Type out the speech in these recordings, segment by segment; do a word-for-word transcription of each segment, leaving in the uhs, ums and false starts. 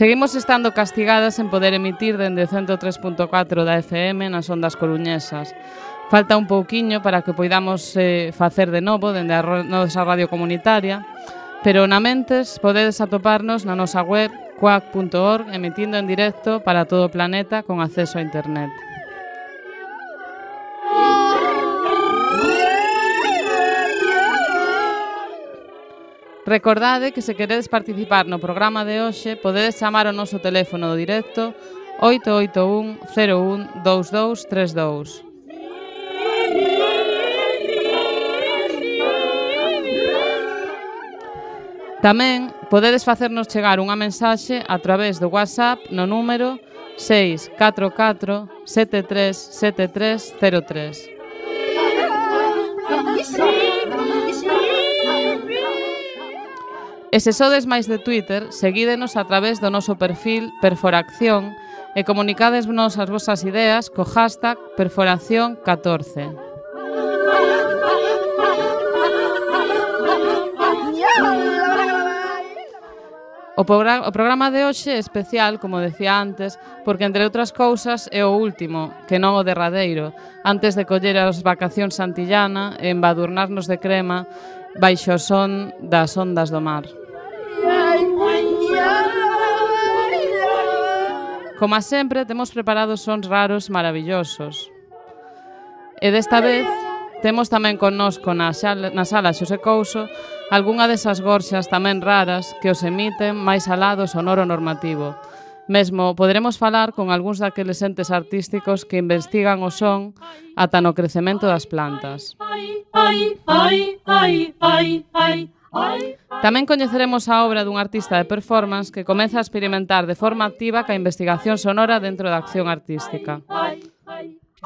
Seguimos estando castigadas en poder emitir dende cento tres punto catro da F M nas ondas coruñesas. Falta un pouquiño para que poidamos eh, facer de novo dende a nosa radio comunitaria, pero na mentes podedes atoparnos na nosa web quack punto org emitindo en directo para todo o planeta con acceso a internet. Recordade que se queredes participar no programa de hoxe podedes chamar ao noso teléfono do directo oito oito un cero un dous dous tres dous. Tamén podedes facernos chegar unha mensaxe a través do WhatsApp no número seis catro catro sete tres sete tres cero tres. E se sodes máis de Twitter, seguídenos a través do noso perfil Perforacción e comunicádesnos as vosas ideas co hashtag Perforación catorce. O, programa, o programa de hoxe é especial, como decía antes, porque, entre outras cousas, é o último, que non o derradeiro, antes de coller as vacacións santillana e embadurnarnos de crema baixo o son das ondas do mar. Como sempre, temos preparados sons raros maravillosos. E desta vez temos tamén connosco na sala, na sala Xosé Couso algunha desas gorxas tamén raras que os emiten máis alá do sonoro normativo. Mesmo poderemos falar con algúns daqueles entes artísticos que investigan o son ata no crecemento das plantas. Tamén coñeceremos a obra dun artista de performance que comeza a experimentar de forma activa ca investigación sonora dentro da acción artística. Ai,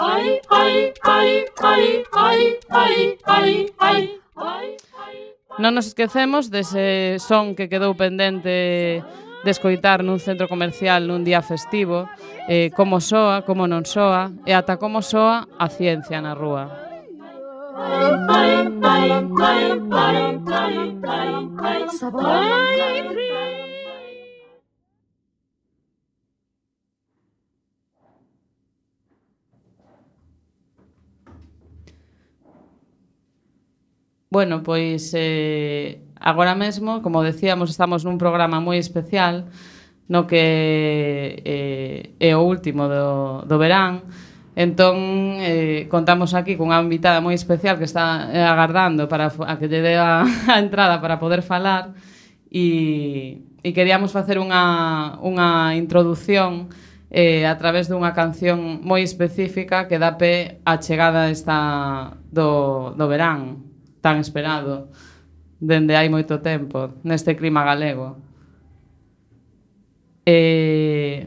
ai, ai, ai, ai, ai, ai, ai, ai. Non nos esquecemos dese son que quedou pendente de escoitar nun centro comercial nun día festivo, eh, como soa, como non soa, e ata como soa a ciencia na rúa. Bueno, pois eh, agora mesmo, como decíamos, estamos nun programa moi especial no que eh, é o último do, do verán. Entón, eh, contamos aquí cunha invitada moi especial que está eh, agardando para a que lle dé a, a entrada para poder falar e, e queríamos facer unha, unha introdución eh, a través dunha canción moi específica que dá pé á chegada esta do, do verán tan esperado dende hai moito tempo neste clima galego. E,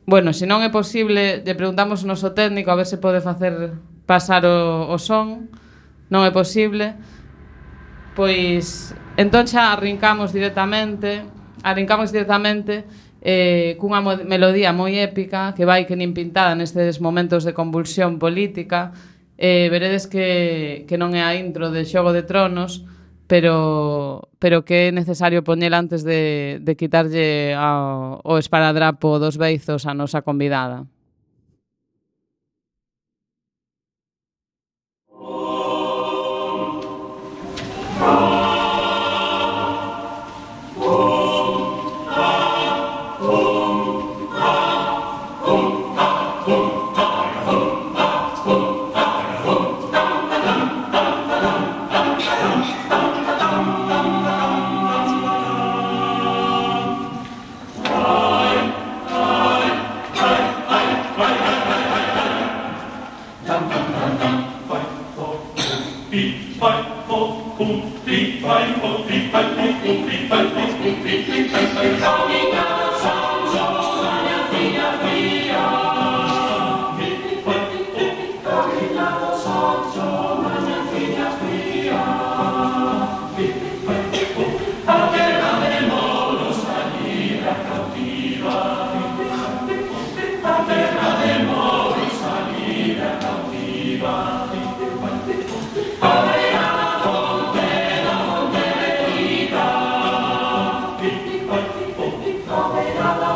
bueno, se non é posible, lle preguntamos ao noso técnico a ver se pode facer pasar o, o son. Non é posible. Pois, entón xa arrincamos directamente, arrincamos directamente eh, cunha melodía moi épica que vai que nin pintada nestes momentos de convulsión política. Eh, veredes que, que non é a intro de Xogo de Tronos, pero, pero que é necesario poñela antes de, de quitarlle ao, o esparadrapo dos beizos a nosa convidada. Ave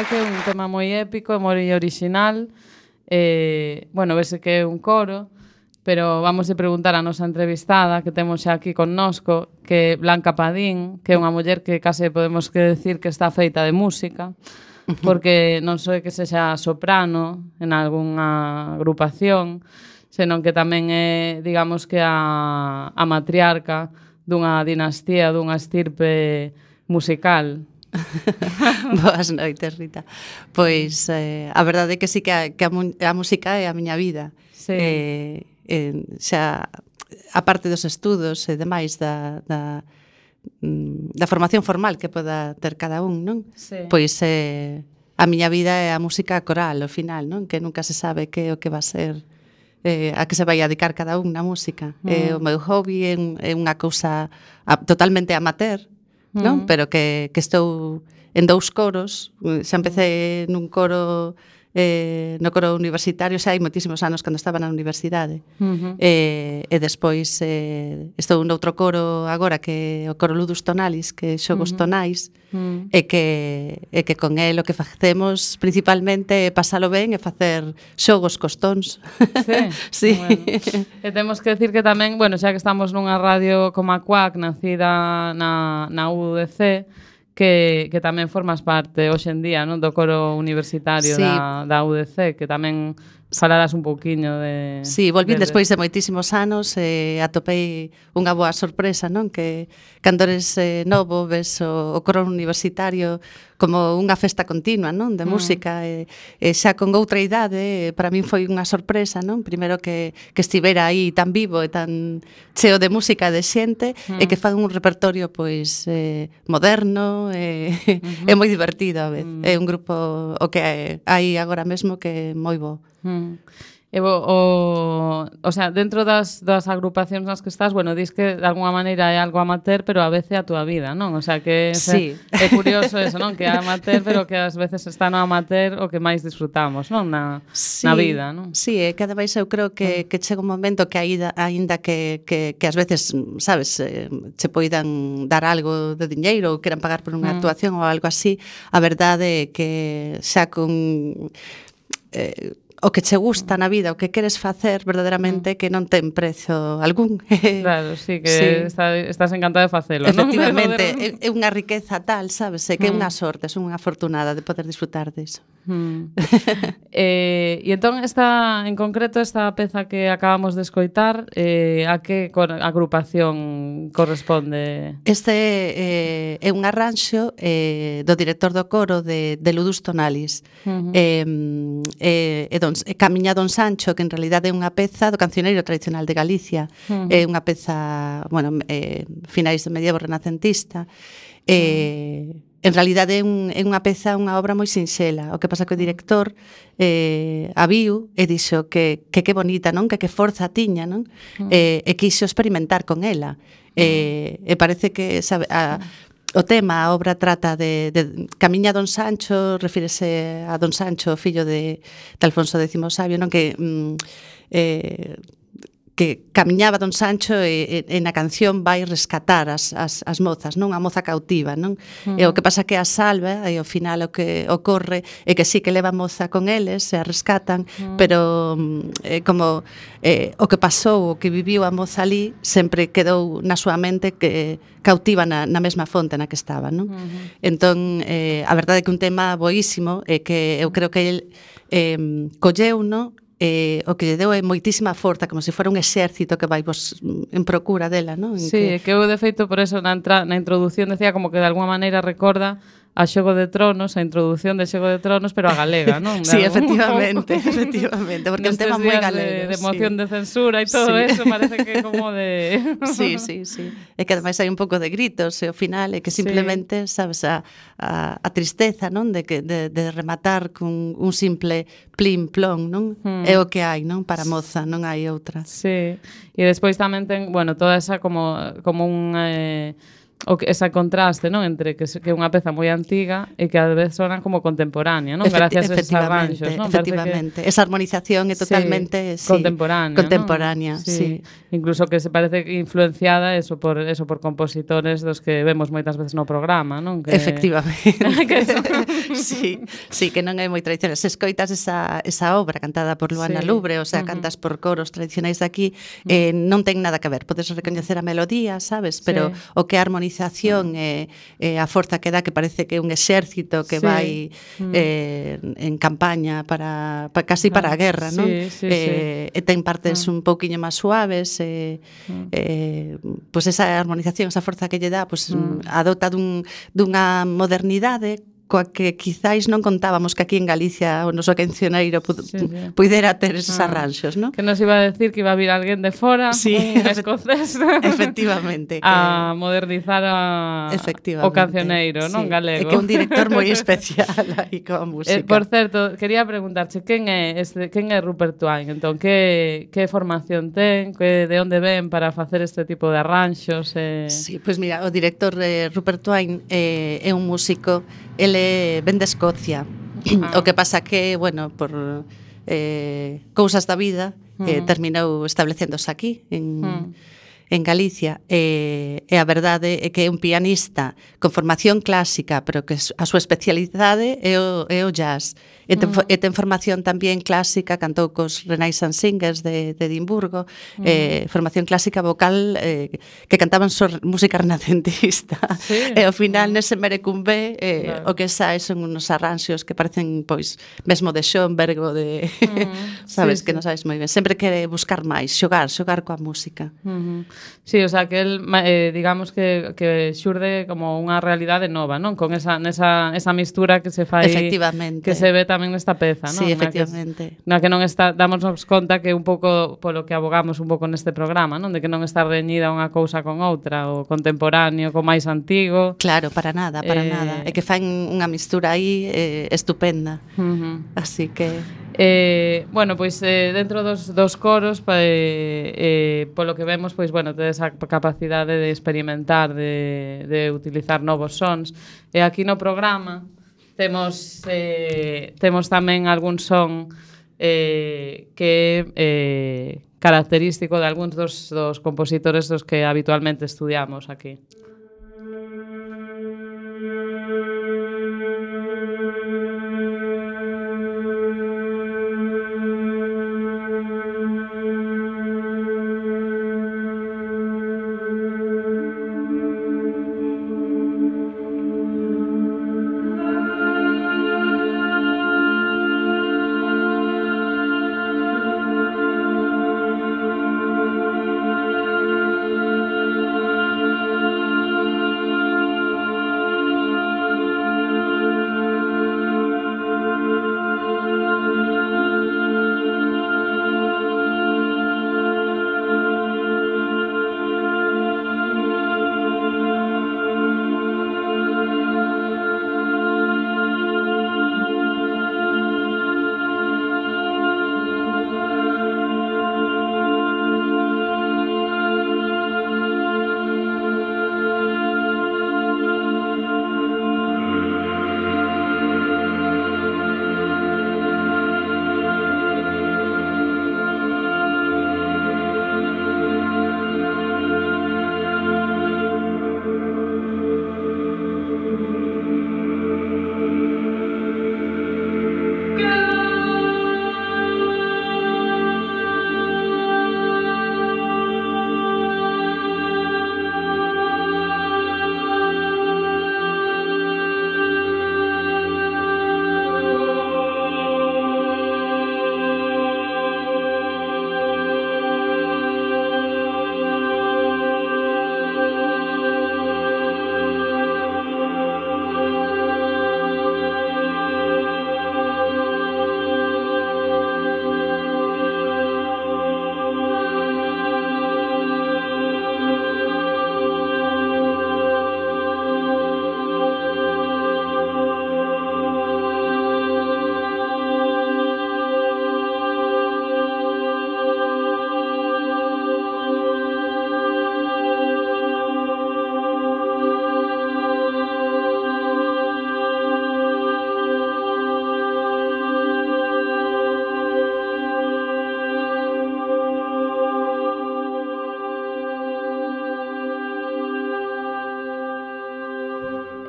Que é un tema moi épico e moi original. Eh, bueno, vese que é un coro, pero vamos a preguntar a nosa entrevistada que temos xa aquí connosco, que é Blanca Padín, que é unha muller que case podemos que decir que está feita de música, porque non só é que sexa soprano en algunha agrupación, senón que tamén é, digamos que a, a matriarca dunha dinastía, dunha estirpe musical. Boas noites, Rita. Pois eh, a verdade é que sí que a, que a, a música é a miña vida. Sí. Eh, eh, xa, a parte dos estudos e demais da, da, da formación formal que poda ter cada un, non? Sí. Pois eh, a miña vida é a música coral, ao final, non? Que nunca se sabe que é o que va a ser, eh, a que se vai a dedicar cada un na música. Mm. Eh, o meu hobby é, é unha cousa a, totalmente amateur, non? Mm. Pero que, que estou en dous coros. Xa empecé nun coro eh, no coro universitario, xa hai moitísimos anos cando estaba na universidade. Uh-huh. eh, e despois eh, estou noutro coro agora que é o coro Ludus Tonalis, que é xogos uh-huh. tonais, uh-huh. e, que, e que con el o que facemos principalmente é pasalo ben e facer xogos cos tons. Sí, sí. Bueno. E temos que decir que tamén, bueno, xa que estamos nunha radio como a Cuac, nacida na, na U D C, que, que tamén formas parte hoxe en día, non, do coro universitario, sí, da, da U D C, que tamén falarás un pouquiño de... Sí, volvín de... despois de moitísimos anos e eh, atopei unha boa sorpresa, non? Que cando eres eh, novo ves o, o coro universitario como unha festa continua, non? De mm. música e, e xa con outra idade, para min foi unha sorpresa, non? Primeiro que, que estivera aí tan vivo e tan cheo de música de xente mm. e que fan un repertorio pois eh, moderno e mm-hmm. é moi divertido a vez. Mm. É un grupo o que hai agora mesmo que é moi bo. Mm. E o, o, o sea, dentro das, das agrupacións nas que estás, bueno, dis que de alguma maneira é algo amateur, pero a veces é a túa vida, non? O sea, que sí. é, é curioso eso, non? Que é amateur, pero que ás veces está no amateur o que máis disfrutamos, non? Na, sí, na vida, non? Sí, e cada vez eu creo que, que chega un momento que aínda, aínda que, que, que ás veces, sabes, eh, che poidan dar algo de diñeiro ou queran pagar por unha mm. actuación ou algo así, a verdade é que xa con... Eh, o que che gusta na vida, o que queres facer verdadeiramente, que non ten prezo algún. Claro, sí, que sí. Está, estás encantada de facelo, non? Efectivamente, é, é unha riqueza tal, sabes, é que é unha sorte, é unha afortunada de poder disfrutar disso. Mm. eh, e entón, esta, en concreto, esta peza que acabamos de escoitar, eh, a que agrupación corresponde? Este eh, é un arranxo eh, do director do coro de, de Ludus Tonalis. Uh-huh. eh, eh, e don, Camiña Don Sancho, que en realidade é unha peza do cancioneiro tradicional de Galicia. Uh-huh. É unha peza, bueno, eh, finais do medievo renacentista. Eh, uh-huh. En realidade é, un, é unha peza, unha obra moi sinxela. O que pasa que o director eh, a viu e dixo que que, que bonita, non? Que que forza tiña, non? Uh-huh. Eh, e quixo experimentar con ela. Uh-huh. Eh, e parece que sabe, a, o tema, a obra trata de, de Camiña Don Sancho, refírese a Don Sancho, fillo de, de Alfonso X Sabio, non? Que... Mm, eh, que camiñaba Don Sancho e, e, e na canción vai rescatar as, as, as mozas, non? A moza cautiva, non? Uh-huh. E o que pasa que a salva e ao final o que ocorre é que sí que leva a moza con eles, se a rescatan, uh-huh. pero eh, como eh, o que pasou, o que viviu a moza ali, sempre quedou na súa mente que cautiva na, na mesma fonte na que estaba, non? Uh-huh. Entón, eh, a verdade é que un tema boísimo é que eu creo que el eh, colleu, non? Eh, o que lle deu é moitísima forza, como se fora un exército que vai vos en procura dela, non? Sí, que... que eu de feito por eso na, entra, na introducción decía como que de alguma maneira recorda a Xogo de Tronos, a introdución de Xogo de Tronos, pero a galega, non? Sí, efectivamente, efectivamente, porque é un tema moi galego. De, de moción sí. de censura e todo sí. eso, parece que como de... Sí, sí, sí. É que ademais hai un pouco de gritos e ao final é que simplemente, sí. sabes, a, a, a tristeza, non? De, que, de, de rematar con un simple plim plon, non? Hmm. É o que hai, non? Para a moza, non hai outra. Sí, e despois tamén ten, bueno, toda esa como, como un... Eh, o que ese contraste, non, entre que é unha peza moi antiga e que a veces sonan como contemporánea, non? Efecti Gracias a esos arranxos, non? Efectivamente, que... esa armonización é totalmente sí, sí, contemporánea, contemporánea, ¿no? sí. sí. Incluso que se parece influenciada eso por eso por compositores dos que vemos moitas veces no programa, non? Que... Efectivamente. que eso... sí, sí, que non é moi tradicional. Se escoitas esa, esa obra cantada por Luana sí. Lubre, o sea, uh -huh. cantas por coros tradicionais de aquí, uh -huh. eh, non ten nada que ver. Podes recoñecer a melodía, sabes? Pero sí. o que é a armonización e eh, eh, a forza que dá, que parece que é un exército que sí. vai eh, en campaña para, para casi para a guerra, non? Sí, sí, eh, sí. E ten partes uh -huh. un pouquiño máis suaves, eh, uh -huh. eh, pois pues esa armonización, esa forza que lle dá, pois pues, uh -huh. adota dun, dunha modernidade coa que quizáis non contábamos que aquí en Galicia o noso cancioneiro pu sí, sí. pudera ter esos ah, arranxos, non? Que nos iba a decir que iba a vir alguén de fora, sí, un escocés, efectivamente, que... a modernizar a... o cancioneiro, sí. non galego. É que un director moi especial aí coa música. Eh, por certo, quería preguntarche, quen é este, quen é Rupert Twine? Entón, que, que formación ten, que, de onde ven para facer este tipo de arranxos? Eh... Sí, pois pues mira, o director eh, Rupert Twine eh, é un músico. Ele ven de Escocia. Ah. O que pasa que, bueno, por eh, cousas da vida, uh -huh. eh, terminou establecéndose aquí, en, uh -huh. en Galicia. E, e a verdade é que é un pianista con formación clásica, pero que a súa especialidade é o, é o jazz. E ten, uh -huh. e ten formación tamén clásica, cantou cos Renaissance Singers de, de Edimburgo, uh -huh. eh, formación clásica vocal eh, que cantaban so, música renacentista. Sí. E ao final, nese merecumbe, eh, claro. o que sae son unos arranxos que parecen, pois, mesmo de Schoenberg ou de... Uh -huh. sabes, sí, que sí. non sabes moi ben. Sempre quere buscar máis, xogar, xogar coa música. Uh -huh. Sí, o sea, que el, eh, digamos que, que xurde como unha realidade nova, non? Con esa, nesa, esa mistura que se fai... Efectivamente. Que se ve tamén nesta peza, non? Sí, efectivamente. Na que, na que non está, damosnos conta que un pouco polo que abogamos un pouco neste programa, non? De que non está reñida unha cousa con outra, o contemporáneo co máis antigo. Claro, para nada, para eh... nada. É que fan unha mistura aí eh, estupenda. Uh -huh. Así que... Eh, bueno, pois eh, dentro dos, dos coros pa, eh, eh, polo que vemos, pois bueno, tedes a capacidade de experimentar, de, de utilizar novos sons. E aquí no programa temos eh, temos tamén algún son eh, que é eh, característico de algúns dos, dos compositores dos que habitualmente estudiamos aquí.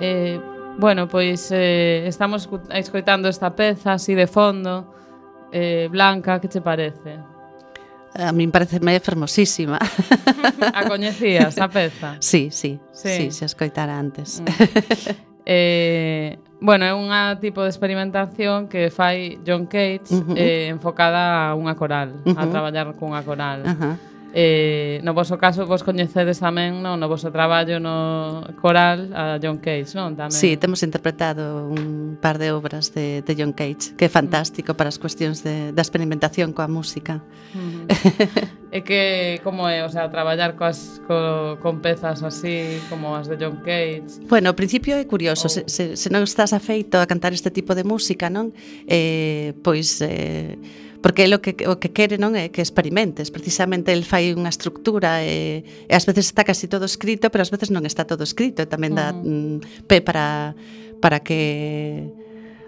Eh, bueno, pois eh, estamos escoitando esta peza así de fondo. Eh, Blanca, que che parece? A min pareceme fermosísima. A coñecías a peza? Sí, sí, sí, sí, se escoitara antes. Mm. eh, bueno, é unha tipo de experimentación que fai John Cage, uh -huh. eh, enfocada a unha coral, uh -huh. a traballar cunha coral. Uh -huh. Eh, no voso caso, vos coñecedes tamén, non, no voso traballo no coral a John Cage, non? Tamén. Sí, temos interpretado un par de obras de, de John Cage, que é fantástico para as cuestións de, da experimentación coa música. Uh -huh. E que, como é, o sea, traballar coas, co, con pezas así, como as de John Cage? Bueno, ao principio é curioso, oh. se, se, se non estás afeito a cantar este tipo de música, non? Eh, pois... Eh, porque é o que, o que quere, non é que experimentes. Precisamente el fai unha estructura e, e ás veces está casi todo escrito, pero ás veces non está todo escrito, e tamén dá mm, pé para, para que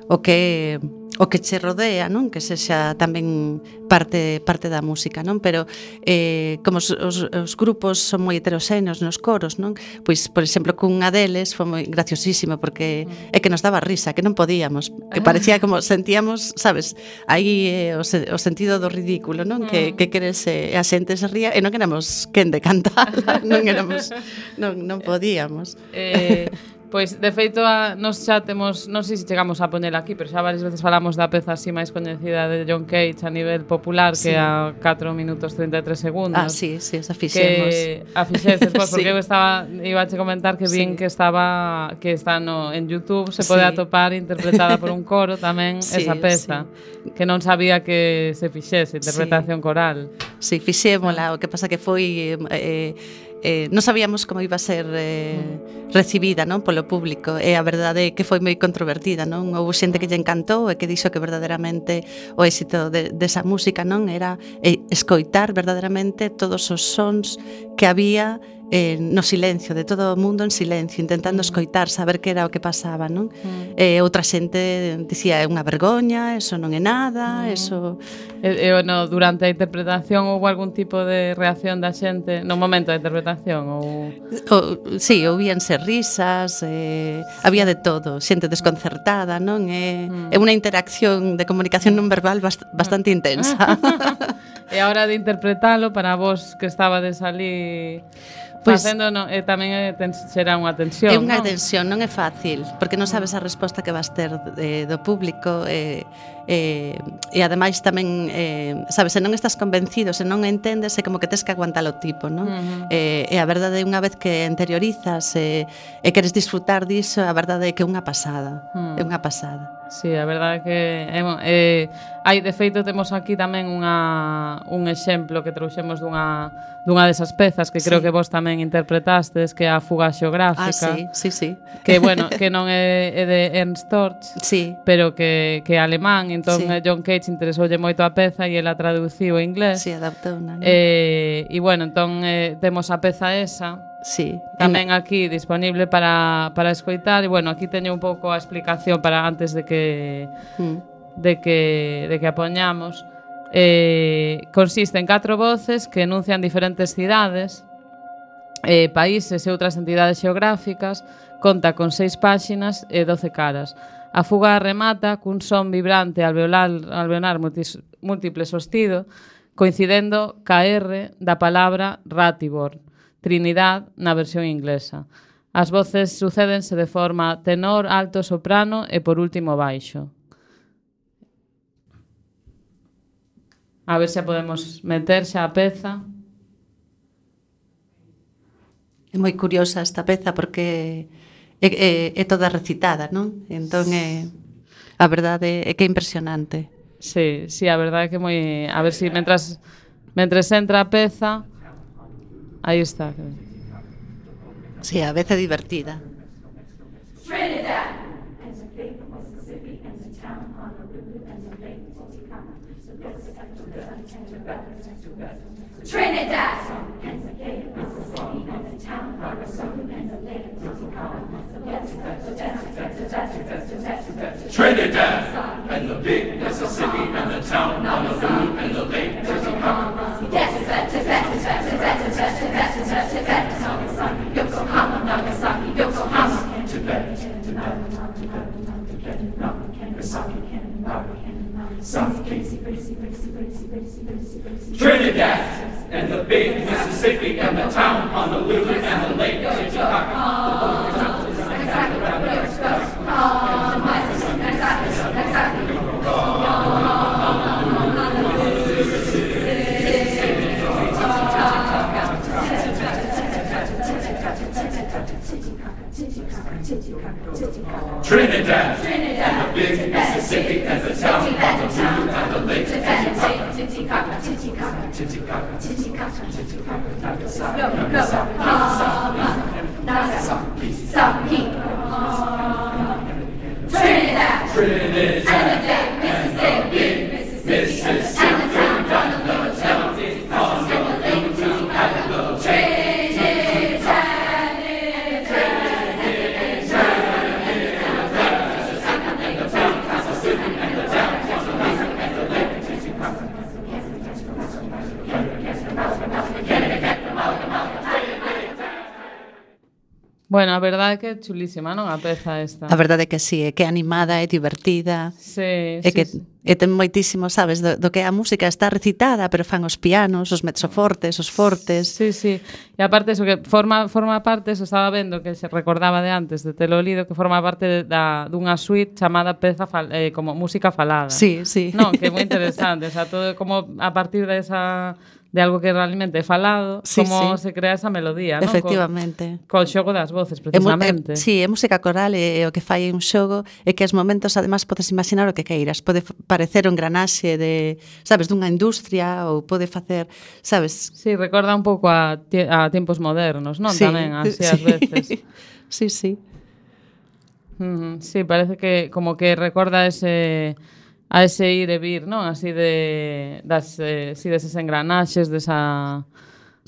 o que o que che rodea, non, que sexa tamén parte parte da música, non, pero eh, como os, os, os grupos son moi heteroxéneos nos coros, non, pois por exemplo cunha deles foi moi graciosísimo porque é que nos daba risa, que non podíamos, que parecía como sentíamos, sabes, aí eh, o, se, o sentido do ridículo, non, que que queres eh, a xente se ría e non éramos quen de cantar, non éramos non non podíamos. Eh Pois, de feito, a, nos xa temos, non sei se chegamos a poñela aquí, pero xa varias veces falamos da peza así máis coñecida de John Cage a nivel popular, sí. que a catro minutos treinta e tres segundos. Ah, sí, sí, esa fixemos. Que a fixeses, pois, porque sí. eu estaba, iba a che comentar que vin sí. que estaba, que está no, en YouTube, se pode sí. atopar interpretada por un coro tamén sí, esa peza, sí. que non sabía que se fixese, interpretación sí. coral. Sí, fixémola, o que pasa que foi... Eh, Eh, non sabíamos como iba a ser eh, recibida, non, polo público, e a verdade é que foi moi controvertida, non? Houve xente que lle encantou e que dixo que verdadeiramente o éxito de, desa música, non, era eh, escoitar verdadeiramente todos os sons que había eh, no silencio, de todo o mundo en silencio, intentando escoitar, saber que era o que pasaba, non? Mm. E outra xente dicía, é unha vergoña, eso non é nada, mm. eso... E, e no, durante a interpretación houve algún tipo de reacción da xente no momento da interpretación? Ou... O, sí, ouvíanse risas, eh, había de todo, xente desconcertada, non? É, mm. é unha interacción de comunicación non verbal bast, bastante intensa. E a hora de interpretalo, para vos que estabades ali... Pois, facendo, no, eh, tamén é, ten, será unha tensión, é unha non? tensión, non é fácil, porque non sabes a resposta que vas ter eh, do público, eh, eh, e ademais tamén, eh, sabes, se non estás convencido, se non entendes, é como que tes que aguantar o tipo, non? Uh -huh. eh, e a verdade é unha vez que interiorizas e, e queres disfrutar diso, a verdade é que é unha pasada, uh -huh. é unha pasada. Sí, a verdade é que é, eh, hai, de feito, temos aquí tamén unha, un exemplo que trouxemos dunha, dunha desas pezas que creo sí. que vos tamén interpretastes, que é a Fuga Xeográfica. Ah, sí, sí, sí. Que, bueno, que non é, é de Ernst Torch, sí. pero que, que é alemán, entón sí. John Cage interesoulle moito a peza e ela traduciu en inglés. Sí, adaptou unha, ¿no? Eh, e, bueno, entón eh, temos a peza esa, sí. tamén aquí disponible para, para escoitar, e, bueno, aquí teño un pouco a explicación para antes de que mm. de que de que a poñamos. Eh, consiste en catro voces que enuncian diferentes cidades, eh, países e outras entidades xeográficas. Conta con seis páxinas e doce caras. A fuga remata cun son vibrante alveolar, alveolar multis, múltiple sostido, coincidendo ca R da palabra Ratibor, Trinidad na versión inglesa. As voces sucédense de forma tenor, alto, soprano e por último baixo. A ver se podemos meter xa a peza. É moi curiosa esta peza porque é, é, é toda recitada, non? Entón, é, a verdade é que é impresionante. Sí, sí, a verdade é que moi... A ver se si mentras, mentras entra a peza... Aí está. Sí, a vez é divertida. Trinidad. Trinidad. Trinidad and the big Mississippi and the town Honolulu and the lake Titicaca. Yes, Tibet, Tibet, Tibet, Tibet, Tibet, Tibet, Tibet, Tibet, Yokohama, Nagasaki, Yokohama, Tibet. Trinidad and the big Mississippi and the town Honolulu and the lake Titicaca. Trinidad, Trinidad, and the big Mississippi and the town Honolulu and the lake Titicaca, Titicaca, Titicaca, Titicaca, Titicaca, Titicaca, Nagasaki, Nagasaki, Nagasaki, Nagasaki, Trinidad, Trinidad, and the big Mississippi, Mississippi, and the town Honolulu, Titicaca, Honolulu, Titicaca, Trinidad. Bueno, a verdade é que é chulísima, non? A peza esta. A verdade é que sí, é que é animada, é divertida. Sí, é sí, que sí. E ten moitísimo, sabes, do, do que a música está recitada, pero fan os pianos, os mezzofortes, os fortes. Sí, sí. E aparte eso que forma forma parte, eso estaba vendo que se recordaba de antes de telo lido, que forma parte da dunha suite chamada peza fal, eh, como música falada. Sí, sí. Non, que é moi interesante, o sea, todo como a partir de esa de algo que realmente é falado, Sí, como sí. se crea esa melodía, non? Efectivamente. Co, co xogo das voces, É mu- precisamente. É, sí, é música coral e o que fai un xogo é que aos momentos ademais podes imaginar o que queiras. Pode f- parecer un granaxe de, sabes, dunha industria ou pode facer, sabes? Sí, recorda un pouco a, tie- a tiempos modernos, non? Sí, Tamén, así sí. ás veces. Sí, sí. Mm, sí, parece que como que recorda ese a ese ir e vir, non? Así de das eh, sí, deses engranaxes, desa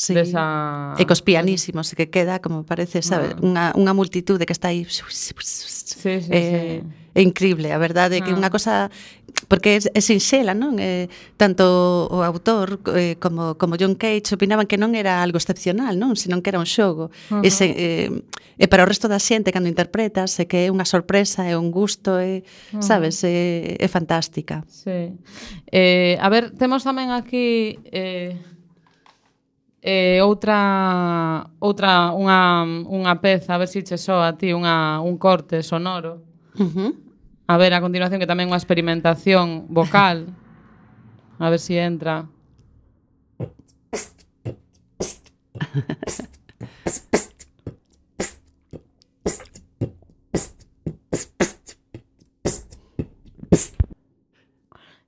Sí. desa E cos pianísimos, que queda como parece, sabes, Ah. unha, unha multitude que está aí. Sí, sí, é, sí. é increíble, a verdade é que Ah. unha cosa porque é, é sinxela, non? É, tanto o autor eh, como, como John Cage opinaban que non era algo excepcional, non? Senón que era un xogo. Ajá. E, se, eh, e para o resto da xente cando interpretas é que é unha sorpresa, é un gusto, é, Ajá. sabes, é, é fantástica. Sí. Eh, a ver, temos tamén aquí eh, eh, outra outra unha unha peza, a ver se che soa a ti unha un corte sonoro. Uh-huh. A ver, a continuación que tamén unha experimentación vocal. A ver se si entra.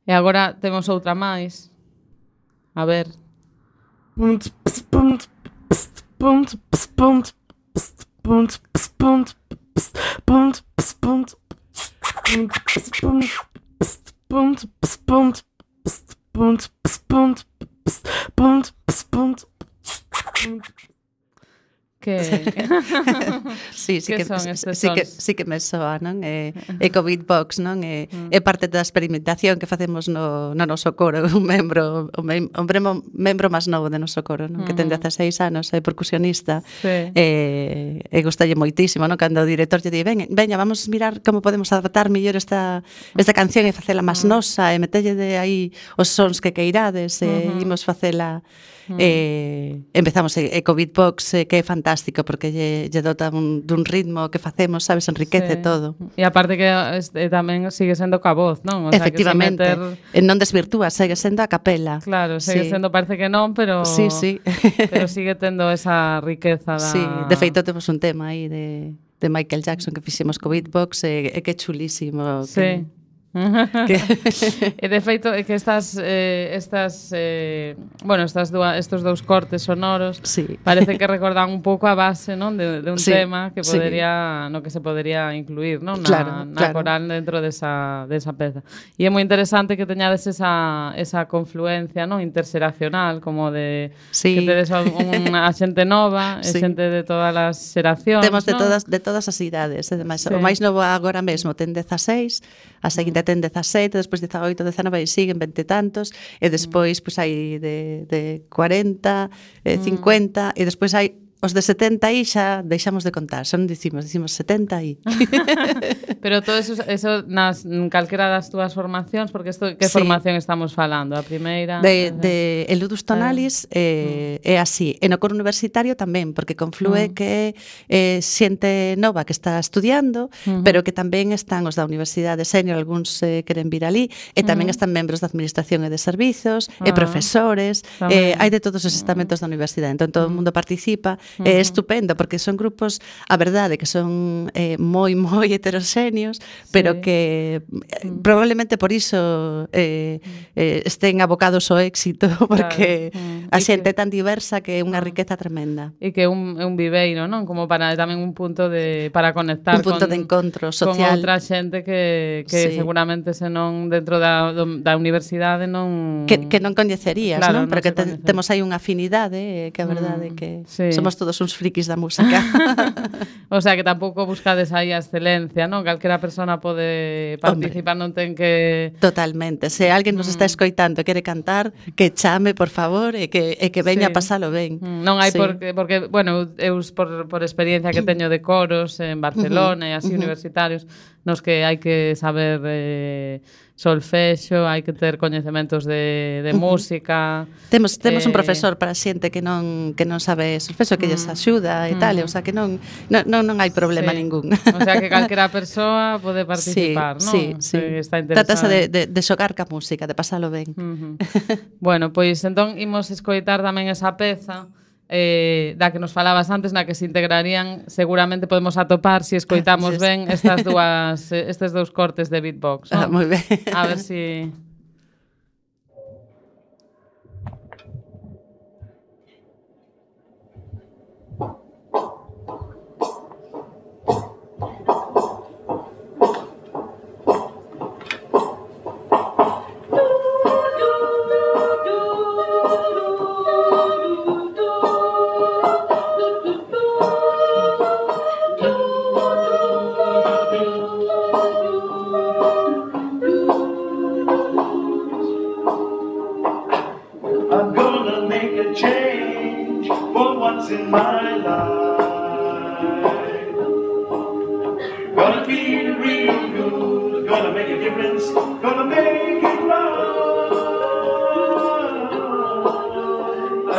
E agora temos outra máis. A ver. Que Sí, sí Que que, son estes sí, que, sons? sí que me soa, non? É, é co beatbox, non? É, Mm. é parte da experimentación que facemos no, no noso coro, un membro, o mem, o membro, membro máis novo de noso coro, non? Que ten Mm. dezaseis anos, é percusionista, Sí. e, e gustalle moitísimo, non? Cando o director lle di, veña, veña, vamos mirar como podemos adaptar mellor esta, esta canción e facela máis nosa, e metelle de aí os sons que queirades, e Ujú. imos facela. E empezamos e, e co beatbox eh, que é fantástico porque lle, lle dota un, dun ritmo que facemos, sabes, enriquece Sí. todo. E aparte que este, tamén sigue sendo ca voz, non? O sea, que se Efectivamente, meter... e non desvirtúa, segue sendo a capela. Claro, segue Sí. sendo, parece que non, pero Sí, sí. pero sigue tendo esa riqueza da... Sí, de feito temos un tema aí de, de Michael Jackson que fixemos co beatbox e, e que é chulísimo. Sí. Que, que E de feito é que estas eh, estas eh, bueno, estas dúa, estos dous cortes sonoros sí. parece que recordan un pouco a base, non, de, de un Sí, tema que sí. podería, no que se podería incluir, non, na, Claro, na claro. coral dentro desa desa peza. E é moi interesante que teñades esa esa confluencia, non, interseracional, como de Sí. que tedes un, unha xente nova, e Sí. xente de todas as xeracións, Temos de non? todas de todas as idades, e demais, Sí. o máis novo agora mesmo ten dezaseis, a seguinte ten dezasete, despois dezaoito, dezanove e siguen vinte e tantos, e despois pois hai de de cuarenta, eh, cincuenta, e despois hai os de setenta aí xa deixamos de contar, xa non dicimos, dicimos setenta aí. Pero todo eso, eso nas calquera das túas formacións, porque isto, que Sí. formación estamos falando? A primeira? De, de el Ludus Tonalis eh, é así. E no coro universitario tamén, porque conflúe Mm. que é eh, xente nova que está estudiando, Ujú. pero que tamén están os da Universidade Senior, algúns eh, queren vir ali, e tamén Ujú. están membros da Administración e de Servizos, e Ah, profesores, tamén. eh, hai de todos os estamentos da universidade, entón todo o mundo participa, é Ujú. estupendo, porque son grupos, a verdade, que son eh, moi, moi heteroxéneos, pero Sí. que eh, probablemente por iso eh, eh, estén abocados ao éxito, porque Mm. a E xente é que- tan diversa que é unha riqueza tremenda. E que é un, é un viveiro, non? Como para tamén un punto de para conectar Un punto con, de encontro con social. outra xente que, que Sí. seguramente se non dentro da, do, da universidade non Que, que non coñecerías, Claro, non? Pero non que se te, coñece. temos aí unha afinidade, eh, que a verdade é Mm, que sí. somos todos uns frikis da música. O sea, que tampouco buscades aí a excelencia, non? Calquera persona pode participar, non ten que Totalmente. Se alguén nos está Mm. escoitando e quere cantar, que chame, por favor, e que, e que veña Sí. a pasalo ben. Mm, non hai Sí. porque, porque, bueno, eu por, por experiencia que teño de coros en Barcelona e así ujú. universitarios, nos que hai que saber eh, solfexo, hai que ter coñecementos de, de Ujú. música. Temos temos un Eh, profesor para xente que non que non sabe solfexo, que lles axuda e Mm. tal, e, o sea, que non non non, non hai problema Sí. ningún. O sea, que calquera persoa pode participar, non? Sí, sí, Se está Trátase interesada. de, de, de xogar ca música, de pasalo ben. Ujú. Bueno, pois entón imos escoitar tamén esa peza eh, da que nos falabas antes, na que se integrarían, seguramente podemos atopar se si escoitamos Sí. ben estas dúas eh, estes dous cortes de beatbox, Ah, non? moi ben. A ver si I'm gonna make a change for once in my life. Gonna feel real good, gonna make a difference, gonna make it right.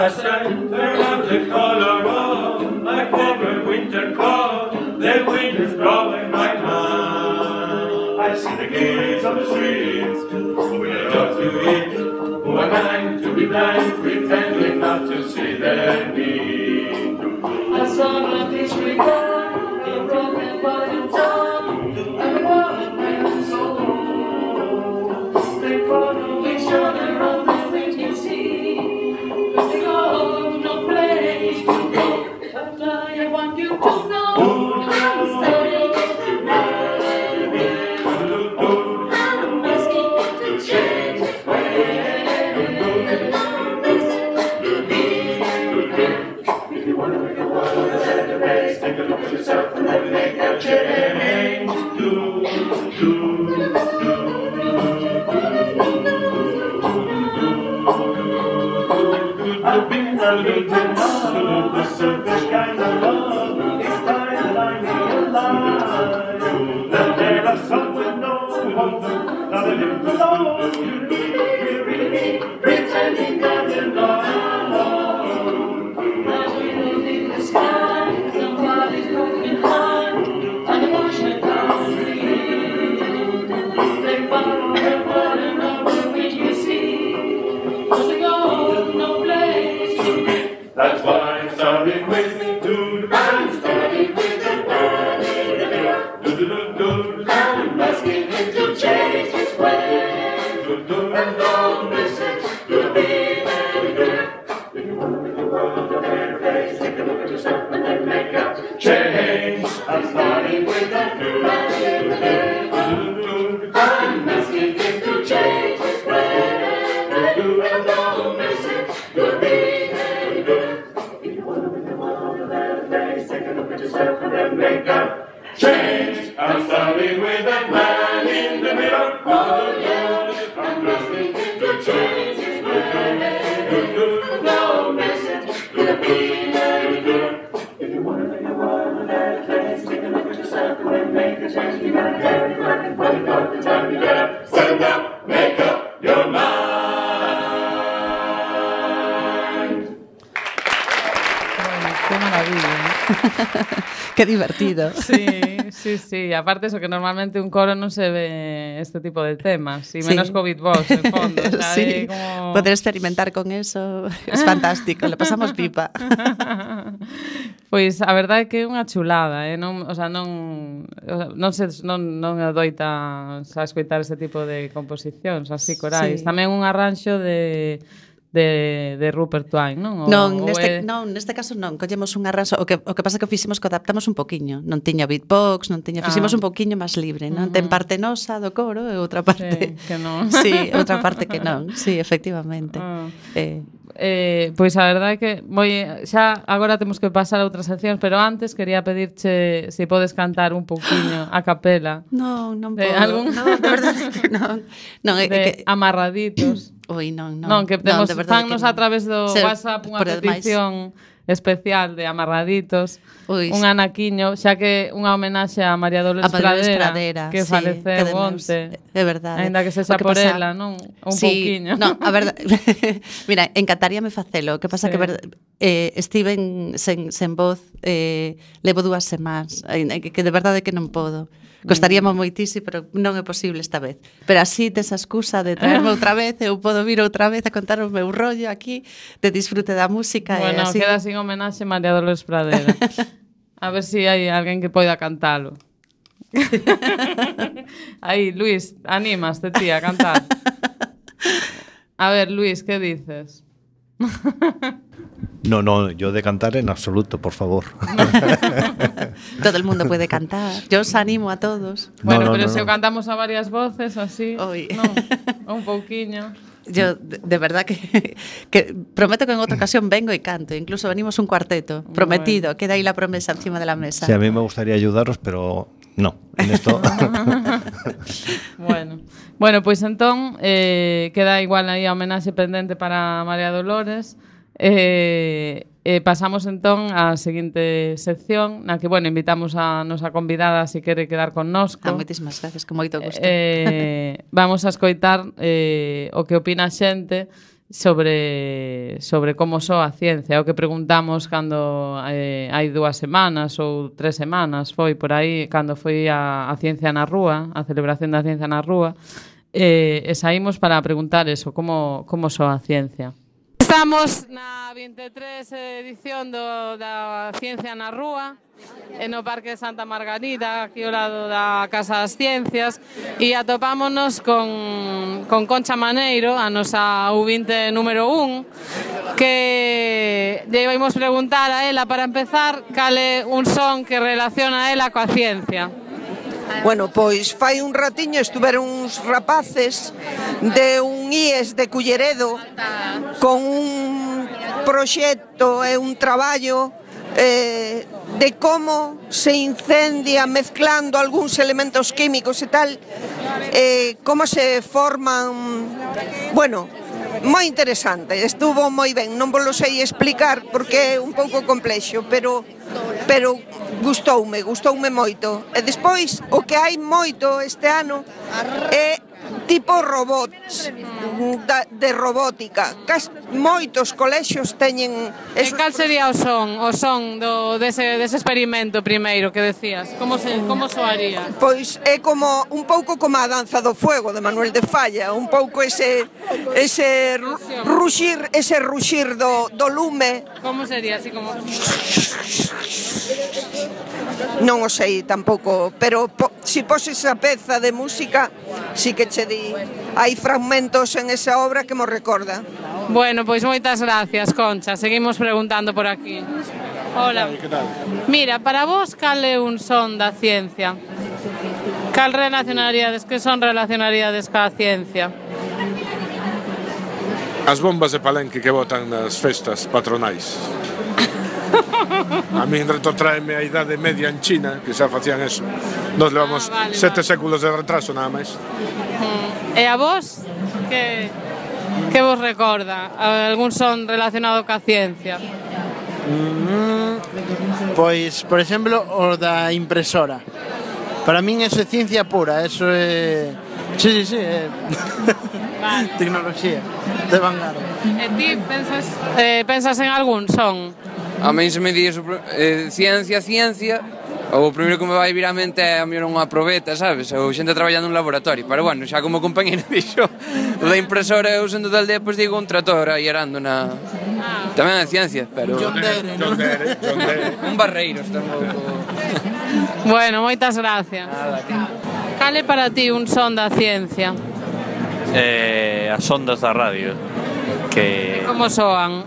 As I turn out the color of my covered winter coat, the wind is blowing my mind. I see the kids on the streets, when I talk to it. Who am I to be blind, pretending not to see their need? I saw my disregard, a broken bottom top, and a one man soul. They follow each other on the way to see. But they go no place to go. But I want you to know I'm staying I'm asking to change the way. If you want to make a world a better place, take a look at yourself and then make a change. Do, do, do, I've been a little love, the surface kind of love. It's time that I realize that there are some with no hope, not a little alone. You really, really pretending that you're not alone. Now we look in the sky, somebody's broken heart, and emotion comes free. They follow the burden of the wind you see. Cause they go no place to be. That's why I'm starting with dude. I'm starting with the man in the mirror. Do do do do. I'm asking him to change his way. Do do and don't listen to me very good. If you want to make the world a better place, take a look at yourself and then make a change. I'm starting with the man in the mirror. Do do do. I'm asking him to change his way. Do do and don't listen to me very good. If you want to make the world a better place, take a look at yourself and then make a change. I'm starting with that man in the mirror. Oh yeah, I'm asking him to change his way. No message to be very good. a chance, you gotta get it right. When you got the time, you gotta settle down, make up your mind. Bueno, qué maravilla, ¿eh? Qué divertido. Sí, sí, sí. Aparte eso, que normalmente un coro non se ve este tipo de temas, y menos Sí. COVID vos, en fondo. O sea, Sí, é como... poder experimentar con eso es fantástico, le pasamos pipa. Pois a verdade é que é unha chulada, eh? non, o sea, non, o sea, non se non non adoita a escoitar este tipo de composicións así corais. Sí. Tamén un arranxo de de de Rupert Twine, non? O, Non, o neste, é... non, neste caso non, collemos un arraso, o que o que pasa é que o fixemos que adaptamos un poquiño, non tiña beatbox, non tiña, fixemos Ah. un poquiño máis libre, non? Uh-huh. Ten parte nosa do coro e outra parte. Sí, que non. Sí, outra parte que non. Sí, efectivamente. Ah. Eh, Eh, pois a verdade é que moi xa agora temos que pasar a outras seccións, pero antes quería pedirche se podes cantar un pouquiño a capela. non, non De podo. algún- Non, de verdade que non. Non, é, é De que amarraditos. Ui, non, non. Non, que temos de verdade fannos que a non. través do Se- WhatsApp unha por demais. petición especial de amarraditos. Ui, Un anaquiño, xa que unha homenaxe a María Dolores, a Dolores Pradera, Pradera, que sí, faleceu que demos- onte. É verdade. Aínda que sexa O que por pasa- ela, non? Un sí, pouquiño. No, a verdade. Mira, encantaríame facelo. O que pasa Sí. que ver, eh, estiven sen, sen voz eh, levo dúas semanas, eh, que, que de verdade que non podo. Costaríame moitísimo, pero non é posible esta vez. Pero así tes a excusa de traerme outra vez, eu podo vir outra vez a contar o meu rollo aquí, de disfrute da música Bueno, e así. queda sin homenaxe a María Dolores Pradera. A ver se si hai alguén que poida cantalo. Aí, Luis, animaste ti a cantar. A ver, Luis, ¿qué dices? No, no, yo de cantar en absoluto, por favor. Todo el mundo puede cantar. Yo os animo a todos. Bueno, no, pero no, se no. o cantamos a varias voces, así, Oi. non? Un pouquiño. Yo, de, de verdad que, que prometo que en otra ocasión vengo y canto. Incluso venimos un cuarteto. Prometido. Queda ahí la promesa encima de la mesa. Sí, a mí me gustaría ayudaros, pero no, en esto... Bueno, bueno, pois entón eh, queda igual aí a homenaxe pendente para María Dolores. Eh, eh, pasamos entón á seguinte sección na que, bueno, invitamos a nosa convidada se quere quedar connosco. Ah, moitísimas gracias, con moito gusto. Eh, vamos a escoitar eh, o que opina a xente sobre sobre como soa a ciencia, o que preguntamos cando eh, hai dúas semanas ou tres semanas, foi por aí cando foi a, a ciencia na rúa, a celebración da ciencia na rúa, eh, e saímos para preguntar eso, como, como soa a ciencia. Estamos na vinte e tres edición do, da Ciencia na Rúa, e no Parque de Santa Margarida, aquí ao lado da Casa das Ciencias, e atopámonos con, con Concha Maneiro, a nosa U vinte número un, que lle vamos preguntar a ela, para empezar, cal é un son que relaciona a ela coa ciencia. Bueno, pois fai un ratiño estuveron uns rapaces de un I E S de Culleredo con un proxecto e un traballo eh, de como se incendia mezclando algúns elementos químicos e tal, eh, como se forman, bueno, moi interesante, estuvo moi ben, non vos lo sei explicar porque é un pouco complexo, pero pero gustoume, gustoume moito. E despois, o que hai moito este ano é tipo robots, da, de robótica. Cas, moitos colexios teñen... E cal sería o son, o son do, dese, dese experimento primeiro que decías? Como, se, como soaría? Pois é como un pouco como a danza do fuego de Manuel de Falla, un pouco ese ese ruxir, ese ruxir do, do lume. Como sería? Así como... Non o sei tampouco, pero po, si poses a peza de música, si que che di, hai fragmentos en esa obra que mo recorda. Bueno, pois moitas gracias, Concha. Seguimos preguntando por aquí. Hola. Mira, para vos, cal é un son da ciencia? Cal relacionaríades, que son relacionaríades ca ciencia? As bombas de Palenque que botan nas festas patronais. A min retrotraeme a idade media en China, que xa facían eso. Nos levamos Ah, vale, sete vale. séculos de retraso nada máis. Mm. E a vos, que, que vos recorda? Algún son relacionado ca ciencia? Mm, pois, por exemplo, o da impresora. Para min eso é ciencia pura, eso é... Sí, sí, sí, é... Vale. Tecnoloxía de vanguarda. E ti pensas, eh, pensas en algún son? A mí se me di eso, eh, ciencia, ciencia, o primeiro que me vai vir á mente é a mellor unha probeta, sabes? Ou xente traballando nun laboratorio, pero bueno, xa como compañero dixo, o da impresora eu sendo da aldea, pois digo un trator aí arando na... Ah. Tamén é ciencia, pero... John Dere, John Dere, John Dere. Un barreiros tampouco. Bueno, moitas gracias. Nada, que... Cal é para ti un son da ciencia? Eh, as ondas da radio, que... Como soan?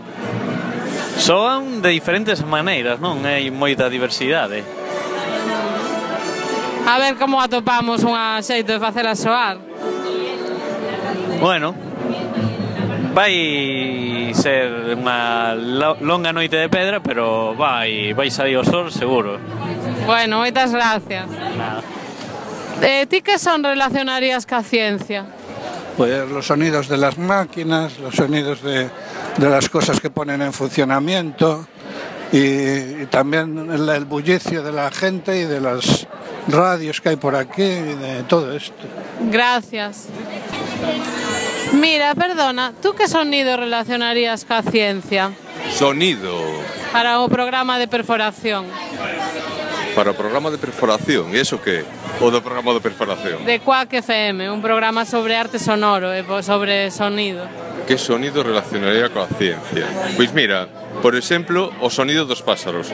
Soan de diferentes maneiras, non? Hai moita diversidade. A ver como atopamos unha xeito de facela soar. Bueno, vai ser unha longa noite de pedra, pero vai, vai salir o sol seguro. Bueno, moitas gracias. Nada. Eh, ti que son relacionarías ca ciencia? Pues los sonidos de las máquinas, los sonidos de, de las cosas que ponen en funcionamiento y, y también el, el bullicio de la gente y de las radios que hay por aquí y de todo esto. Gracias. Mira, perdona, tú que sonido relacionarías ca ciencia? Sonido. Para o programa de perforación. Para o programa de perforación, e iso que? O do programa de perforación? De Quack F M, un programa sobre arte sonoro e sobre sonido. Que sonido relacionaría coa ciencia? Pois mira, por exemplo, o sonido dos pásaros.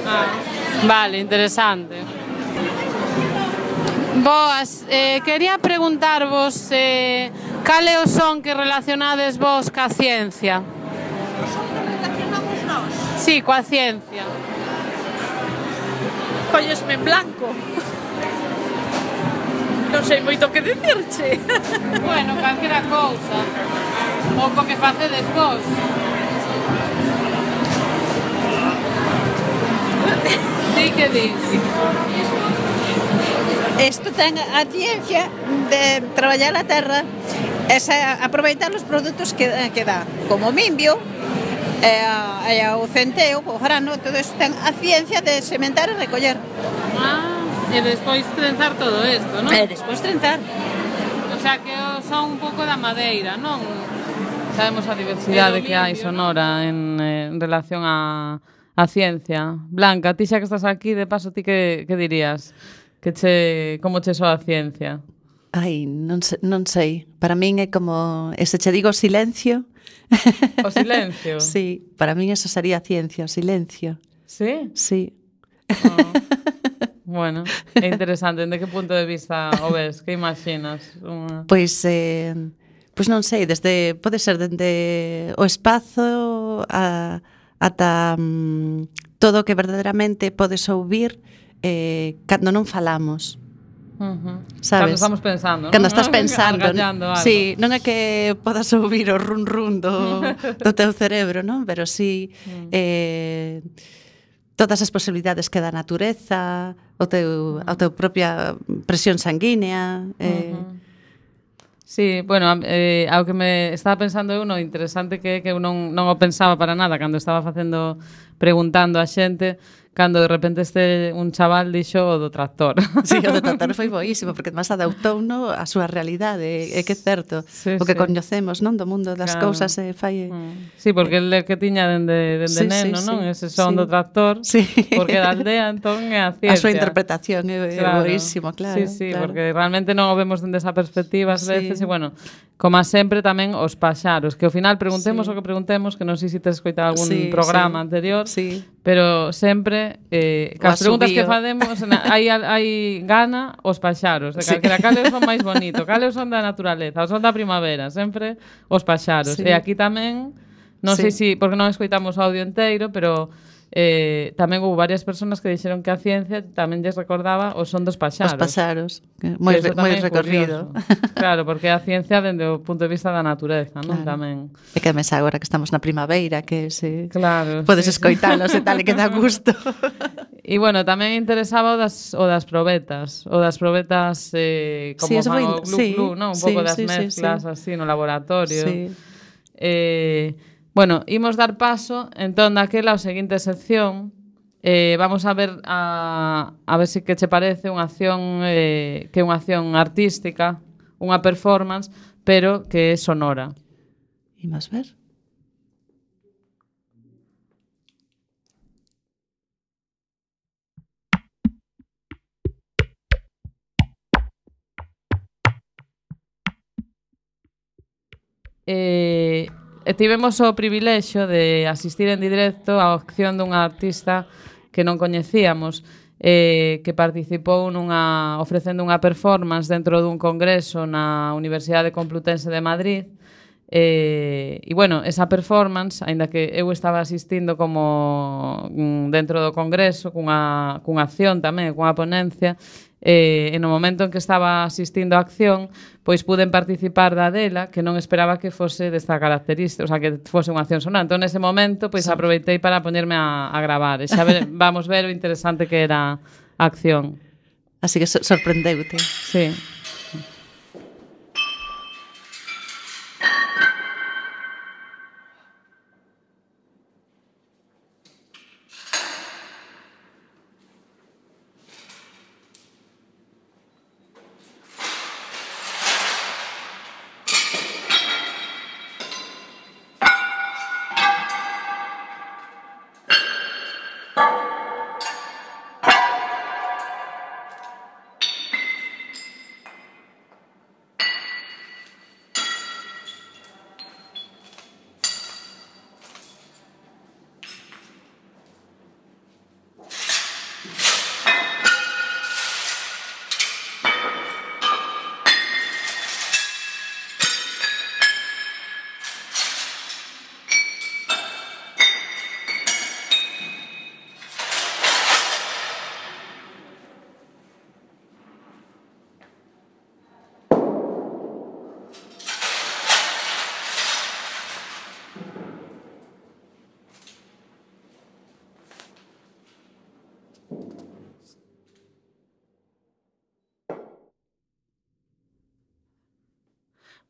Ah, vale, interesante. Boas, eh, quería preguntarvos eh, cal é o son que relacionades vos ca ciencia? Relacionamos nós? Sí, coa ciencia. Collesme en blanco. Non sei moito que dicirche. Bueno, calquera cousa. Ou co que facedes vos. Ti que dis? Isto ten a ciencia de traballar a terra e aproveitar os produtos que, que dá, como o mimbio, e, a, e o centeo, o grano, todo isto ten a ciencia de sementar e recoller. Ah, e despois trenzar todo isto, non? E despois trenzar. O sea, que son un pouco da madeira, non? Sabemos a diversidade que hai sonora en, en relación a, a ciencia. Blanca, ti xa que estás aquí, de paso, ti que, que dirías? Que che, como che soa a ciencia? Ai, non, se, non sei. Para min é como, ese che digo silencio. O silencio? Sí, para min eso sería ciencia, o silencio. Sí? Sí. Oh. Bueno, é interesante. En de que punto de vista o ves? Que imaginas? Una... Pois, eh, pois non sei, desde, pode ser dende o espazo a, ata um, todo o que verdadeiramente podes ouvir eh, cando non falamos. Uh-huh. Sabes? Cando estamos pensando, non? Cando estás pensando, algo. Sí, non é que podas ouvir o run run do, do teu cerebro, non? Pero sí mm. eh, todas as posibilidades que dá a natureza, o teu, a teu propia presión sanguínea. Eh. Uh-huh. Sí, bueno, eh, ao que me estaba pensando eu, no interesante que que eu non, non o pensaba para nada cando estaba facendo, preguntando a xente, cando de repente este un chaval dixo o do tractor. Sí, o do tractor foi boísimo, porque además adaptou no a súa realidade, é que é certo, sí, o que sí. coñecemos, non, do mundo das Claro. cousas e fai... Mm. Sí, porque el que tiña dende, dende Sí, neno, sí, non? sí, Ese son sí. do tractor, Sí. porque da aldea, entón, é a ciencia. A súa interpretación é Claro. boísimo, claro. Sí, sí, claro. porque realmente non o vemos dende esa perspectiva ás Sí. veces, e bueno, como a sempre tamén os paxaros, que ao final preguntemos Sí. o que preguntemos, que non sei se tes escoitado algún Sí, programa sí. anterior, Sí. pero sempre, eh, O cas preguntas que asubío. facemos, na- hai, hai gana os paxaros, de Sí. calquera cales son máis bonito, cales son da naturaleza, os son da primavera, sempre os paxaros. Sí. E aquí tamén, non sei Sí. si, porque non escoitamos o audio enteiro, pero eh, tamén houve varias persoas que dixeron que a ciencia tamén lles recordaba o son dos paxaros. Os paxaros, moi, Que eso moi tamén é recorrido. curioso. Claro, porque a ciencia dende o punto de vista da natureza, non? Claro. Tamén. É que además agora que estamos na primavera, que se Claro, podes sí, sí. escoitalos e tal, e que dá gusto. E bueno, tamén interesaba o das, o das probetas, o das probetas eh, como Sí, eso fan foi- o glu sí, glu, non? Un sí, pouco das sí, sí, mezclas sí. así no laboratorio. Sí. Eh, bueno, imos dar paso entón daquela a seguinte sección, Eh, vamos a ver a, a ver se que che parece unha acción eh, que é unha acción artística, unha performance, pero que é sonora. Imos ver. Eh, e tivemos o privilexio de asistir en directo á acción dunha artista que non coñecíamos, eh, que participou nunha, ofrecendo unha performance dentro dun congreso na Universidade Complutense de Madrid. Eh, e, bueno, esa performance, aínda que eu estaba asistindo como mm, dentro do congreso, cunha, cunha acción tamén, cunha ponencia, eh, e no momento en que estaba asistindo á acción, pois puden participar da dela, que non esperaba que fose desta característica, o sea, que fose unha acción sonora. Entón, nese momento, pois aproveitei para poñerme a, a gravar, e xa ver, vamos ver o interesante que era a acción. Así que so sorprendeute. Sí.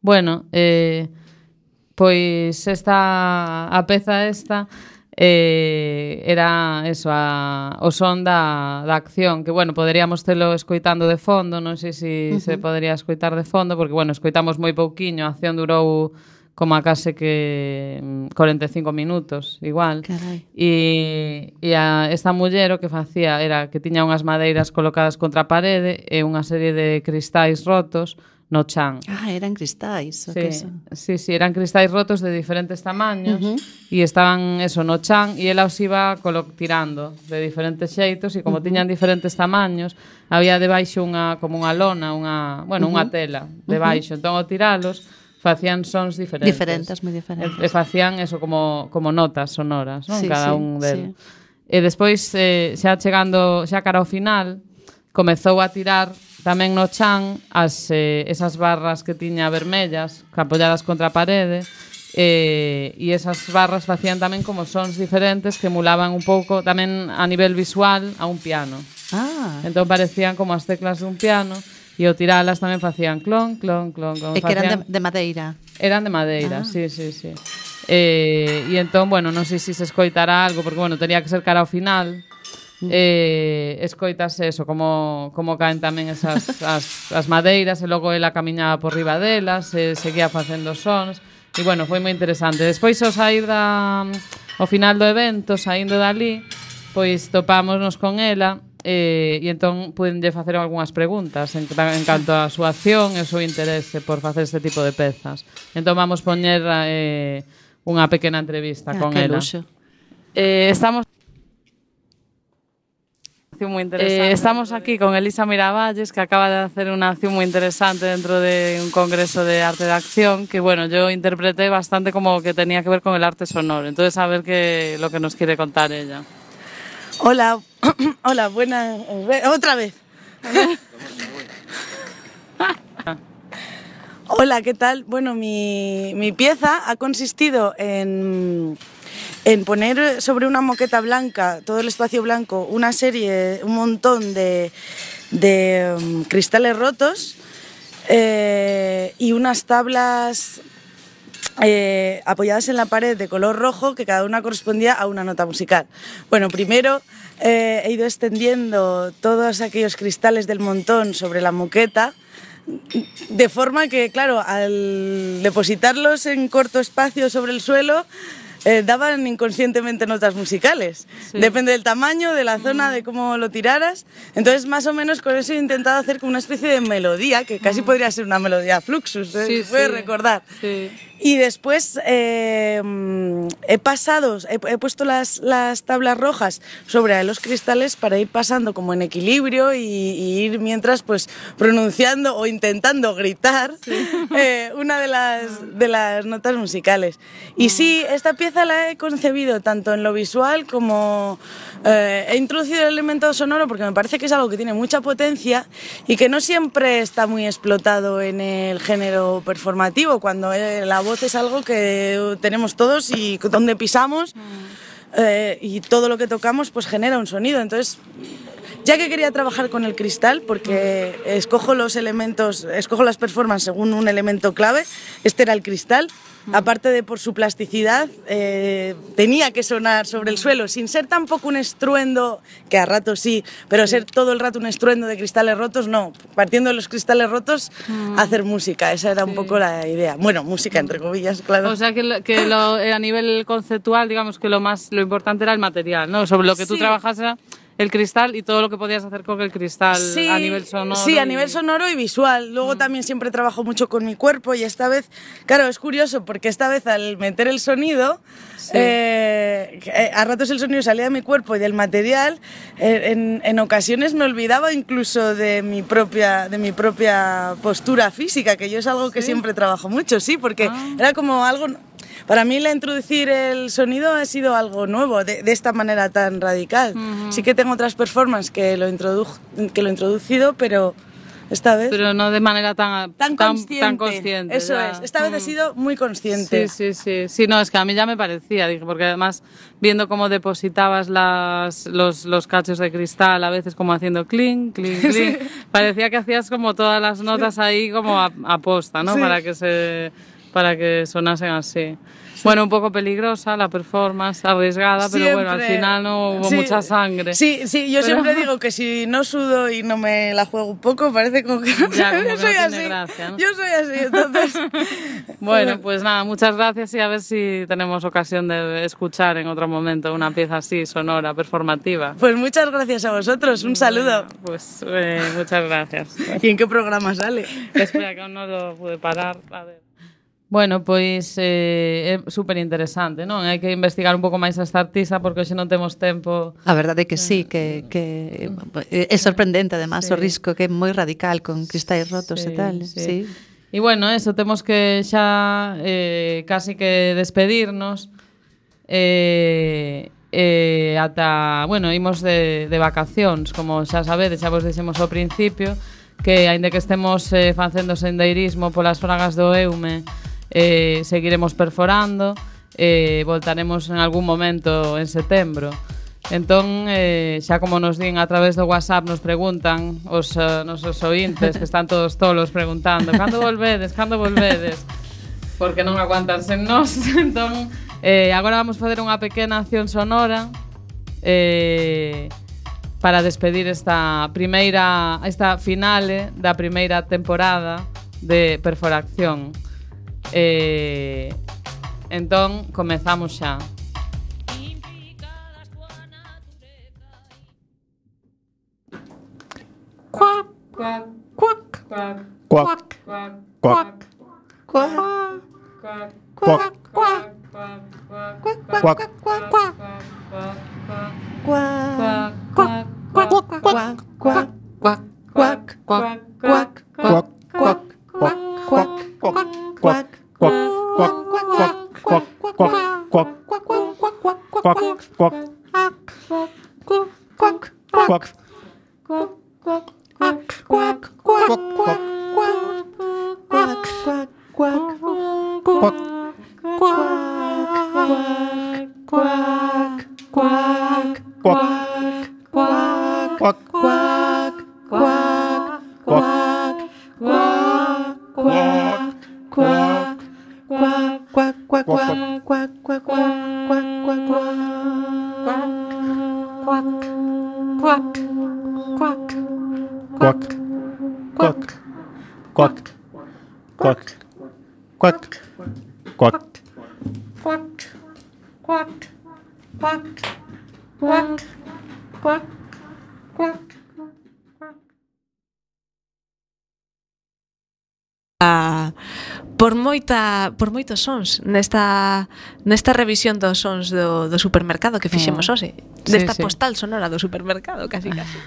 Bueno, eh, pois esta a peza esta eh, era eso, a, o son da, da acción, que, bueno, poderíamos telo escoitando de fondo, non sei se uh -huh. se podería escoitar de fondo, porque, bueno, escoitamos moi pouquiño, a acción durou como a case que cuarenta e cinco minutos, igual. Carai. E, e a, esta muller o que facía era que tiña unhas madeiras colocadas contra a parede e unha serie de cristais rotos no chan. Ah, eran cristais. Sí, que son? sí, sí, eran cristais rotos de diferentes tamaños uh -huh. e estaban eso no chan e ela os iba tirando de diferentes xeitos e como uh -huh. tiñan diferentes tamaños, había debaixo unha como unha lona, unha, bueno, uh -huh. unha tela debaixo, uh -huh. entón ao tiralos facían sons diferentes. Diferentes, moi diferentes. E, e facían eso como como notas sonoras, non? Sí, Cada sí, un del. sí. E despois eh, xa chegando xa cara ao final, comezou a tirar tamén no chan as, eh, esas barras que tiña vermellas apoiadas contra a parede eh, e esas barras facían tamén como sons diferentes que emulaban un pouco tamén a nivel visual a un piano. Ah. Entón parecían como as teclas dun piano e ao tiralas tamén facían clon, clon, clon, clon. E que eran de, de madeira. Eran de madeira, ah. sí, sí, sí. Eh, e entón, bueno, non sei se se escoitará algo porque, bueno, tenía que ser cara ao final. Eh, escoitas eso como, como caen tamén esas as, as madeiras e logo ela camiñaba por riba delas e seguía facendo sons e bueno, foi moi interesante. Despois ao sair da, ao final do evento, saindo dali, pois topámonos con ela e, e entón pudenlle facer algunhas preguntas en, en canto á súa acción e o seu interese por facer este tipo de pezas. Entón vamos poñer eh, unha pequena entrevista ah, con ela. Eh, estamos Eh, estamos aquí con Elisa Miravalles, que acaba de hacer una acción muy interesante dentro de un congreso de arte de acción, que bueno, yo interpreté bastante como que tenía que ver con el arte sonoro. Entonces, a ver qué lo que nos quiere contar ella. Hola, hola, buena, otra vez. Hola, ¿qué tal? Bueno, mi, mi pieza ha consistido en... en poner sobre una moqueta blanca, todo el espacio blanco, una serie, un montón de, de um, cristales rotos eh, y unas tablas eh, apoyadas en la pared de color rojo, que cada una correspondía a una nota musical. Bueno, primero eh, he ido extendiendo todos aquellos cristales del montón sobre la moqueta, de forma que, claro, al depositarlos en corto espacio sobre el suelo, Eh, daban inconscientemente notas musicales. Sí. Depende del tamaño, de la zona, mm. de cómo lo tiraras. Entonces, más o menos con eso he intentado hacer como una especie de melodía, que casi mm. podría ser una melodía Fluxus, ¿eh? Sí, puedes sí. recordar. Sí. Y después eh, he pasado, he, he puesto las, las tablas rojas sobre los cristales para ir pasando como en equilibrio y, y ir mientras pues pronunciando o intentando gritar sí. eh, una de las, de las notas musicales. Y sí, esta pieza la he concebido tanto en lo visual como eh, he introducido el elemento sonoro porque me parece que es algo que tiene mucha potencia y que no siempre está muy explotado en el género performativo, cuando eh, la voz es algo que tenemos todos y donde pisamos eh, y todo lo que tocamos pues genera un sonido. Entonces, ya que quería trabajar con el cristal, porque escojo los elementos, escojo las performances según un elemento clave, este era el cristal. Aparte de por su plasticidad, eh, tenía que sonar sobre el suelo, sin ser tampoco un estruendo, que a ratos sí, pero ser todo el rato un estruendo de cristales rotos, no. Partiendo de los cristales rotos, mm. hacer música, esa era sí. un poco la idea. Bueno, música entre comillas, claro. O sea que, lo, que lo, a nivel conceptual, digamos que lo más lo importante era el material, ¿no? Sobre lo que sí. tú trabajas era el cristal y todo lo que podías hacer con el cristal sí, a nivel sonoro. Sí, a y... nivel sonoro y visual. Luego mm. también siempre trabajo mucho con mi cuerpo y esta vez, claro, es curioso porque esta vez al meter el sonido, sí. eh, a ratos el sonido salía de mi cuerpo y del material, eh, en, en ocasiones me olvidaba incluso de mi propia, de mi propia postura física, que yo es algo que ¿Sí? siempre trabajo mucho, sí, porque ah. era como algo... Para mí la introducir el sonido ha sido algo nuevo, de, de esta manera tan radical. Uh-huh. Sí que tengo otras performances que lo, introdu- que lo he introducido, pero esta vez... Pero no de manera tan, tan, tan consciente. Tan consciente Eso ya. es, esta vez uh-huh. he sido muy consciente. Sí, sí, sí, sí. No, es que a mí ya me parecía, dije, porque además viendo cómo depositabas las, los, los cachos de cristal, a veces como haciendo clink, clink, clink, sí. parecía que hacías como todas las notas sí. ahí como a, a posta, ¿no? Sí. Para que se... para que sonasen así. Sí. Bueno, un poco peligrosa la performance, arriesgada, siempre. Pero bueno, al final no hubo sí. mucha sangre. Sí, sí, yo pero... siempre digo que si no sudo y no me la juego un poco, parece como que, ya, como yo que soy no así. Tiene gracia, ¿no? Yo soy así, entonces... Bueno, pues nada, muchas gracias y a ver si tenemos ocasión de escuchar en otro momento una pieza así, sonora, performativa. Pues muchas gracias a vosotros, un saludo. Bueno, pues eh, muchas gracias. ¿Y en qué programa sale? Espera, que aún no lo pude parar, a ver. Bueno, pois eh, é super interesante, non? Hai que investigar un pouco máis esta artista porque hoxe non temos tempo. A verdade é que sí, que, que é sorprendente además sí. o risco que é moi radical con cristais rotos sí, e tal. Sí. Sí. E bueno, eso, temos que xa eh, casi que despedirnos eh, eh, ata, bueno, imos de, de vacacións, como xa sabedes, xa vos dixemos ao principio, que aínda que estemos eh, facendo sendeirismo polas fragas do Eume, Eh, seguiremos perforando, eh, voltaremos en algún momento en setembro. Entón, eh, xa como nos din a través do WhatsApp, nos preguntan os uh, nosos ointes, que están todos tolos preguntando cando volvedes, cando volvedes, porque non aguantan sen nós. Entón, eh, agora vamos facer unha pequena acción sonora eh, para despedir esta primeira, esta finale da primeira temporada de Perforacción. Eh, entón, comezamos xa. Cuac, cuac, cuac, cuac, cuac, cuac, cuac, cuac, cuac, cuac, cuac, cuac, quack, quack, quack, Quack. Quack. Quack. Quack. Quack. Quack. Quack. Quack. Quack. Quack. Quack. Quack. Quack. Ah, por moita por moitos sons nesta nesta revisión dos sons do, do supermercado que fixemos hoxe, Sí, desta sí. postal sonora do supermercado, casi casi.